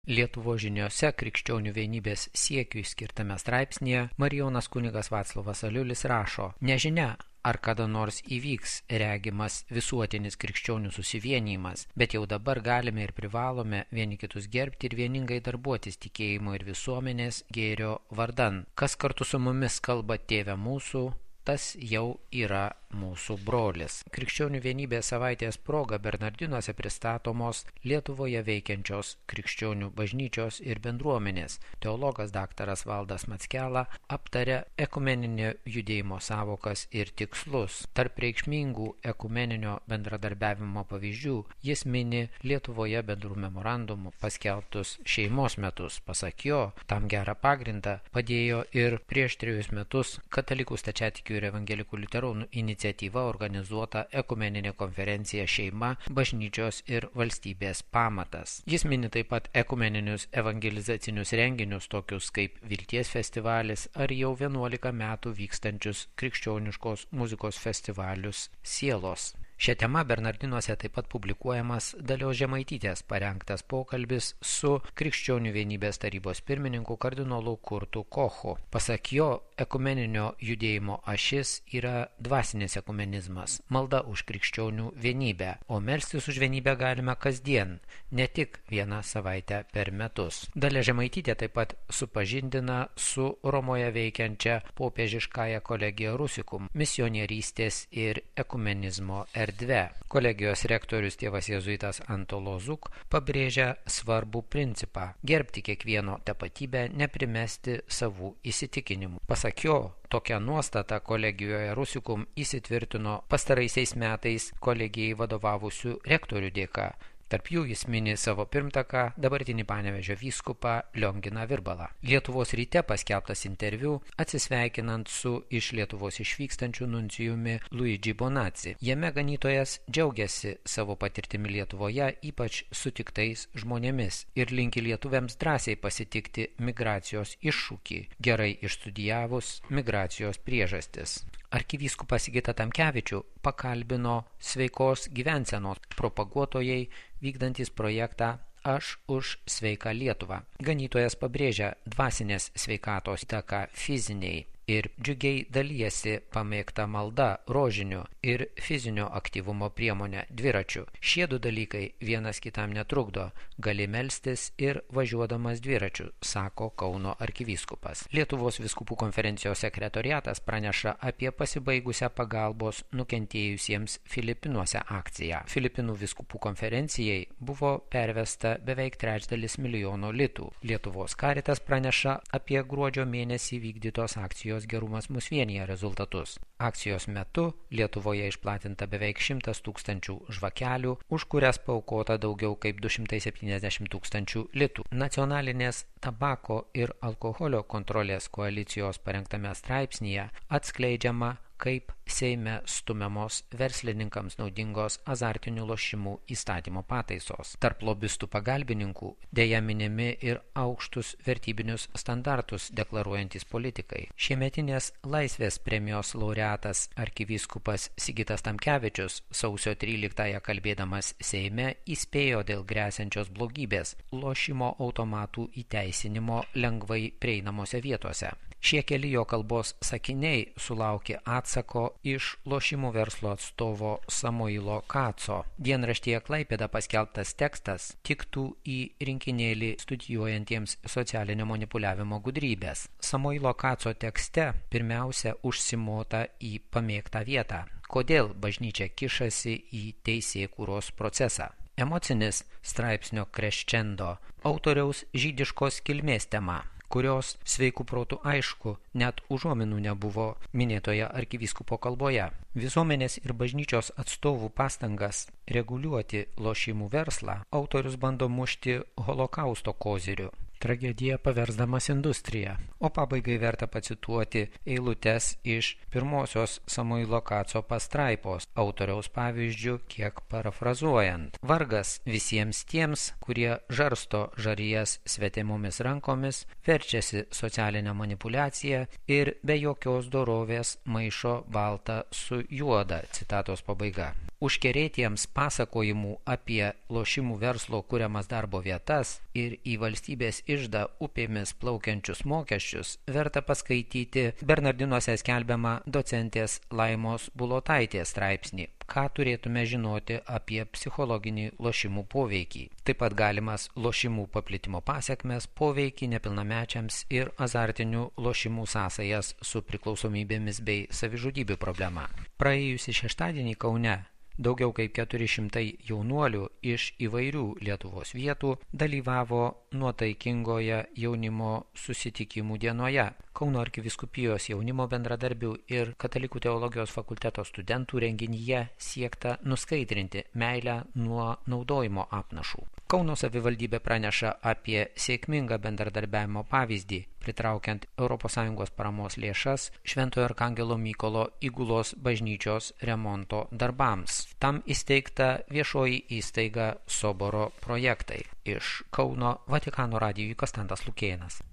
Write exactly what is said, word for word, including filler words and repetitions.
Lietuvos žiniose krikščionių vienybės siekiui skirtame straipsnėje Marijonas kunigas Vaclovas Aliulis rašo: nežinia, ar kada nors įvyks regimas visuotinis krikščionių susivienijimas, bet jau dabar galime ir privalome vieni kitus gerbti ir vieningai darbuotis tikėjimo ir visuomenės gėrio vardan. Kas kartu su mumis kalba Tėve mūsų, tas jau yra mūsų brolis. Krikščionių vienybės savaitės proga Bernardinuose pristatomos Lietuvoje veikiančios krikščionių bažnyčios ir bendruomenės. Teologas daktaras Valdas Mackela aptarė ekumeninio judėjimo savokas ir tikslus. Tarp reikšmingų ekumeninio bendradarbiavimo pavyzdžių jis mini Lietuvoje bendrų memorandumų paskelbtus šeimos metus. Pasak jo, tam gerą pagrindą padėjo ir prieš trejus metus katalikų stačiatikių ir evangelikų liuteronų iniciatyva organizuota ekumeninė konferencija Šeima, bažnyčios ir valstybės pamatas. Jis mini taip pat ekumeninius evangelizacinius renginius, tokius kaip Vilties festivalis ar jau vienuolika metų vykstančius krikščioniškos muzikos festivalius Sielos. Šią temą Bernardinuose taip pat publikuojamas Dalios Žemaitytės parengtas pokalbis su Krikščionių vienybės tarybos pirmininku kardinolu Kurtu Kochu. Pasak jo, ekumeninio judėjimo ašis yra dvasinis ekumenizmas, malda už krikščionių vienybę, o melstis už vienybę galime kasdien, ne tik vieną savaitę per metus. Dalia Žemaitytė taip pat supažindina su Romoje veikiančia popiežiškąja kolegija Rusicum, misionierystės ir ekumenizmo erdvė. Erdve. Kolegijos rektorius tėvas jėzuitas Antolo Zuk pabrėžia svarbų principą – gerbti kiekvieno tapatybę, neprimesti savų įsitikinimų. Pasak jo, tokia nuostata kolegijoje Rusicum įsitvirtino pastaraisiais metais kolegijai vadovavusių rektorių dėka. Tarp jų jis mini savo pirmtaką, dabartinį Panevėžio vyskupą Lionginą Virbalą. Lietuvos ryte paskelbtas interviu atsisveikinant su iš Lietuvos išvykstančiu nuncijumi Luigi Bonazzi. Jame ganytojas džiaugiasi savo patirtimi Lietuvoje, ypač sutiktais žmonėmis, ir linki lietuviams drąsiai pasitikti migracijos iššūkį, gerai išstudijavus migracijos priežastis. Arkivyskupas Sigitą Tamkevičių pakalbino sveikos gyvensenos propaguotojai vykdantys projektą Aš už sveiką Lietuvą. Ganytojas pabrėžia dvasinės sveikatos įtaką fiziniai ir džiugiai dalyjasi pamėgta malda, rožiniu ir fizinio aktyvumo priemonė dviračiu. Šie du dalykai vienas kitam netrukdo, gali melstis ir važiuodamas dviračiu, sako Kauno arkivyskupas. Lietuvos vyskupų konferencijos sekretoriatas praneša apie pasibaigusią pagalbos nukentėjusiems Filipinuose akciją. Filipinų vyskupų konferencijai buvo pervesta beveik trečdalis milijono litų. Lietuvos Karitas praneša apie gruodžio mėnesį vykdytos akcijos Gerumas mus vienija rezultatus. Akcijos metu Lietuvoje išplatinta beveik šimtas tūkstančių žvakelių, už kurias paaukota daugiau kaip du šimtai septyniasdešimt tūkstančių litų. Nacionalinės tabako ir alkoholio kontrolės koalicijos parengtame straipsnyje atskleidžiama, kaip Seime stumiamos verslininkams naudingos azartinių lošimų įstatymo pataisos. Tarp lobistų pagalbininkų dėja minimi ir aukštus vertybinius standartus deklaruojantys politikai. Šiemetinės Laisvės premijos laureatas arkivyskupas Sigitas Tamkevičius sausio tryliktąją kalbėdamas Seime įspėjo dėl gresiančios blogybės – lošimo automatų įteisinimo lengvai prieinamose vietose. Šie keli jo kalbos sakiniai sulaukė atsako iš lošimų verslo atstovo Samoilo Kaco. Dienraštyje Klaipėda paskelbtas tekstas tiktų į rinkinėlį studijuojantiems socialinio manipuliavimo gudrybės. Samoilo Kaco tekste pirmiausia užsimota į pamėgtą vietą. Kodėl bažnyčia kišasi į teisėkūros procesą? Emocinis straipsnio crescendo autoriaus žydiškos kilmės tema, kurios sveikų protų aišku net užuominų nebuvo minėtoje arkivyskupo kalboje. Visuomenės ir bažnyčios atstovų pastangas reguliuoti lošimų verslą autorius bando mušti holokausto koziriu, tragediją paversdamas industriją. O pabaigai verta pacituoti eilutes iš pirmosios Samoilo Kaco pastraipos, autoriaus pavyzdžių kiek parafrazuojant. Vargas visiems tiems, kurie žarsto žarijas svetimomis rankomis, verčiasi socialinę manipuliaciją ir be jokios dorovės maišo baltą su juoda. Citatos pabaiga. užkerėtiems pasakojimų apie lošimų verslo kuriamas darbo vietas ir į valstybės iždą upėmis plaukiančius mokesčius verta paskaityti Bernardinuose skelbiamą docentės Laimos Bulotaitės straipsnį Ką turėtume žinoti apie psichologinį lošimų poveikį. Taip pat galimas lošimų paplitimo pasekmes, poveikį nepilnamečiams ir azartinių lošimų sąsajas su priklausomybėmis bei savižudybių problema. Praėjusį šeštadienį Kaune daugiau kaip keturi šimtai jaunuolių iš įvairių Lietuvos vietų dalyvavo nuotaikingoje jaunimo susitikimų dienoje. Kauno arkivyskupijos jaunimo bendradarbių ir Katalikų teologijos fakulteto studentų renginyje siekta nuskaidrinti meilę nuo naudojimo apnašų. Kauno savivaldybė praneša apie sėkmingą bendradarbiavimo pavyzdį, pritraukiant Europos Sąjungos paramos lėšas Šventojo Arkangelo Mykolo Įgulos bažnyčios remonto darbams. Tam įsteigta viešoji įstaiga Soboro projektai. Iš Kauno Vatikano radijui Konstantas Lukėnas.